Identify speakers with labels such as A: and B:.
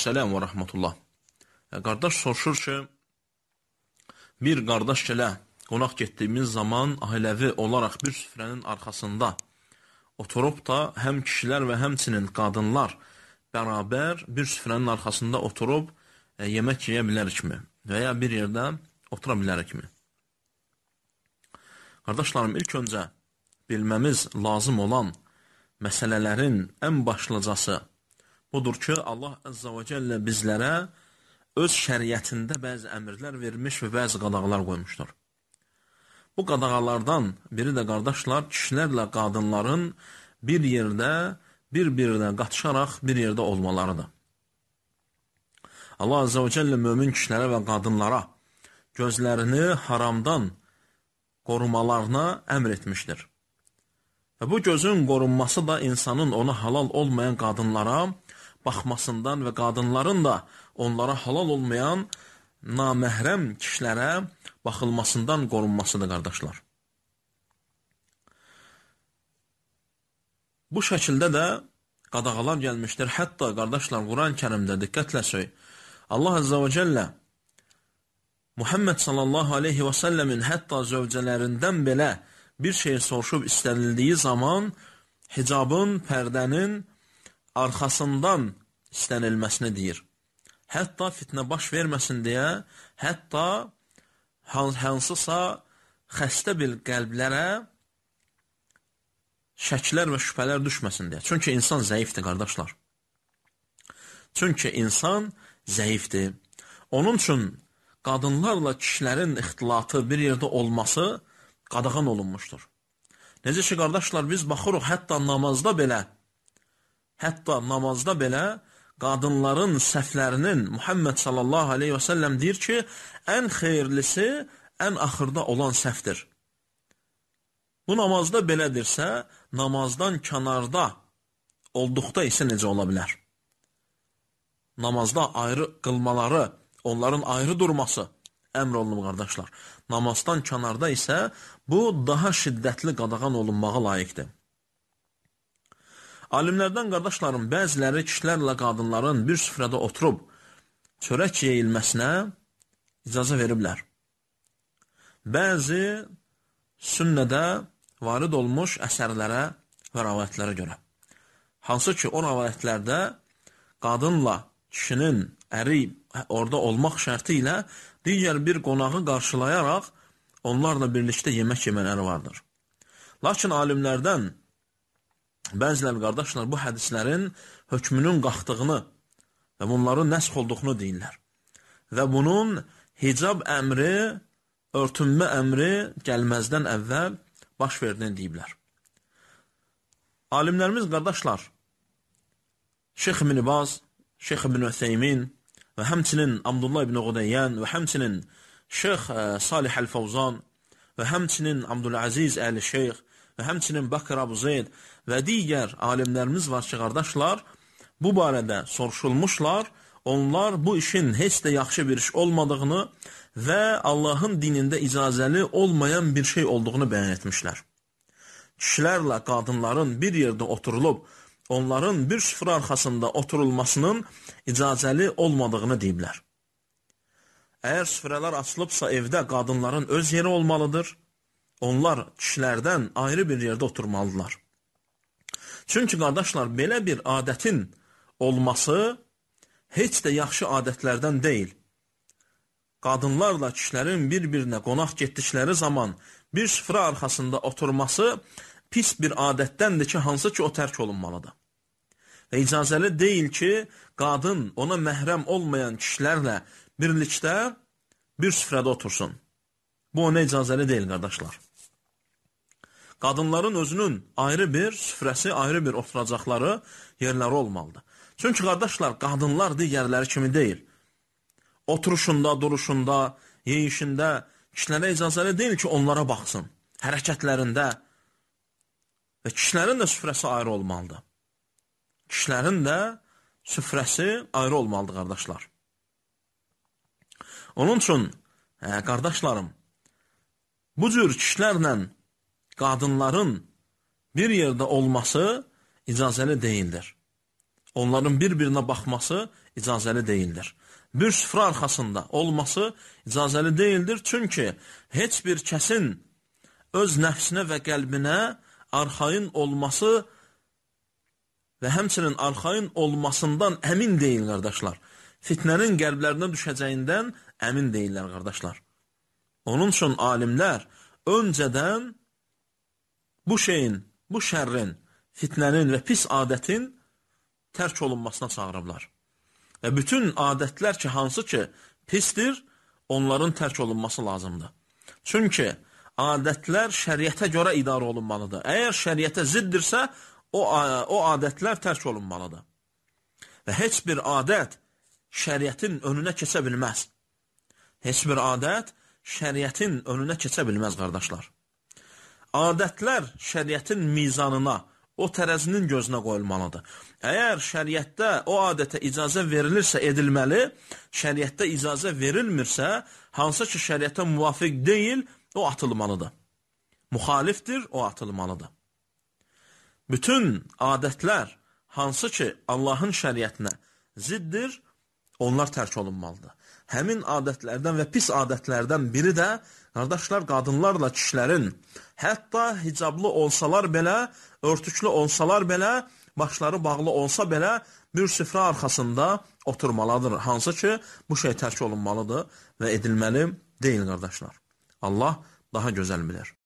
A: Aleykümselam və rəhmətullah. Qardaş soruşur ki, bir qardaş ilə qonaq getdiyimiz zaman ailəvi olaraq bir süfrənin arxasında oturub da həm kişilər və həmçinin qadınlar bərabər bir süfrənin arxasında oturub yemək yeyə bilərikmi və ya bir yerdə otura bilərikmi? Qardaşlarım, ilk öncə bilməmiz lazım olan məsələlərin ən başlıcası budur ki, Allah Əzzə və Cəllə bizlərə öz şəriətində bəzi əmrlər vermiş və bəzi qadağalar qoymuşdur. Bu qadağalardan biri də qardaşlar, kişilərlə qadınların bir yerdə, bir-birinə qatışaraq bir yerdə olmalarıdır. Allah Əzzə və Cəllə mömin kişilərə və qadınlara gözlərini haramdan qorumalarına əmr etmişdir. Və bu gözün qorunması da insanın ona halal olmayan qadınlara baxmasından və qadınların da onlara halal olmayan naməhrəm kişilərə baxılmasından qorunmasıdır, qardaşlar. Bu şəkildə də qadağalar gəlmişdir. Hətta, qardaşlar, Quran-ı Kərimdə diqqətlə söy. Allah Əzzə və Cəllə Muhammed sallallahu aleyhi və səlləmin hətta zövcələrindən belə bir şey soruşub istənildiyi zaman hicabın, pərdənin arxasından istənilməsini deyir. Hətta fitnə baş verməsin deyə, hətta hansısa xəstə bir qəlblərə şəklər və şübhələr düşməsin deyə. Çünki insan zəifdir, qardaşlar. Çünki insan zəifdir. Onun üçün qadınlarla kişilərin ixtilatı bir yerdə olması qadağan olunmuşdur. Necə ki, qardaşlar, biz baxırıq, hətta namazda belə qadınların səhvlərinin Muhammed sallallahu aleyhi və səlləm deyir ki, ən xeyirlisi ən axırda olan səhvdir. Bu namazda belədirsə, namazdan kənarda olduqda isə necə ola bilər? Namazda ayrı qılmaları, onların ayrı durması əmr olunur, qardaşlar. Namazdan kənarda isə bu daha şiddətli qadağan olunmağa layiqdir. Alimlərdən, qardaşlarım, bəziləri kişilərlə qadınların bir süfrədə oturub çörək yeyilməsinə icazə veriblər. Bəzi sünnədə varid olmuş əsərlərə və rəvayətlərə görə. Hansı ki, o rəvayətlərdə qadınla kişinin əri orada olmaq şərti ilə digər bir qonağı qarşılayaraq onlarla birlikdə yemək yemələri vardır. Lakin alimlərdən bəzilər, qardaşlar, bu hədislərin hökmünün qalxdığını və bunların nəsx olduğunu deyirlər. Və bunun hicab əmri, örtünmə əmri gəlməzdən əvvəl baş verdiyini deyiblər. Alimlərimiz, qardaşlar, Şeyx ibn Baz, Şeyx ibn Ütheymin və həmçinin Abdullah ibn Qudayyən və həmçinin Şeyx Salih Əl-Fawzan və həmçinin Abdüləziz Əli-Şeyx və həmçinin Bakır Abu Zeyd və digər alimlərimiz var ki, qardaşlar, bu barədə soruşulmuşlar, onlar bu işin heç də yaxşı bir iş olmadığını və Allahın dinində icazəli olmayan bir şey olduğunu bəyan etmişlər. Kişilərlə qadınların bir yerdə oturulub, onların bir süfrə arxasında oturulmasının icazəli olmadığını deyiblər. Əgər süfrələr açılıbsa evdə qadınların öz yeri olmalıdır, onlar kişilərdən ayrı bir yerdə oturmalıdırlar. Çünki, qardaşlar, belə bir adətin olması heç də yaxşı adətlərdən deyil. Qadınlarla kişilərin bir-birinə qonaq getdikləri zaman bir süfrə arxasında oturması pis bir adətdəndir ki, hansı ki, o tərk olunmalıdır. Və icazəli deyil ki, qadın ona məhrəm olmayan kişilərlə birlikdə bir süfrədə otursun. Bu ona icazəli deyil, qardaşlar. Qadınların özünün ayrı bir süfrəsi, ayrı bir oturacaqları yerləri olmalıdır. Çünki, qardaşlar, qadınlar digərləri kimi deyil. Oturuşunda, duruşunda, yeyişində kişilərə icazəli deyil ki, onlara baxsın. Hərəkətlərində və kişilərin də süfrəsi ayrı olmalıdır. Kişilərin də süfrəsi ayrı olmalıdır, qardaşlar. Onun üçün, qardaşlarım, bu cür kişilərlə qadınların bir yerdə olması icazəli deyildir. onların bir-birinə baxması icazəli deyildir. Bir süfrə arxasında olması icazəli deyildir. Çünki heç bir kəsin öz nəfsinə və qəlbinə arxayın olması və həmçinin arxayın olmasından əmin deyil, qardaşlar. Fitnənin qəlblərinə düşəcəyindən əmin deyirlər, qardaşlar. Onun üçün alimlər öncədən bu şeyin, bu şərrin, fitnənin və pis adətin tərk olunmasına çağırıblar. Və bütün adətlər ki, hansı ki pisdir, onların tərk olunması lazımdır. Çünki adətlər şəriətə görə idarə olunmalıdır. Əgər şəriətə ziddirsə, o adətlər tərk olunmalıdır. Və heç bir adət şəriətin önünə keçə bilməz. Heç bir adət şəriətin önünə keçə bilməz, qardaşlar. Adətlər şəriətin mizanına, o tərəzinin gözünə qoyulmalıdır. Əgər şəriətdə o adətə icazə verilirsə edilməli, şəriətdə icazə verilmirsə, hansı ki şəriətə müvafiq deyil, o atılmalıdır. Müxalifdir, o atılmalıdır. Bütün adətlər, hansı ki Allahın şəriətinə ziddir, onlar tərk olunmalıdır. Həmin adətlərdən və pis adətlərdən biri də, qardaşlar, qadınlarla kişilərin, hətta hicablı olsalar belə, örtüklü olsalar belə, başları bağlı olsa belə, bir süfrə arxasında oturmalıdır. Hansı ki, bu şey tərk olunmalıdır və edilməli deyil, qardaşlar. Allah daha gözəl bilir.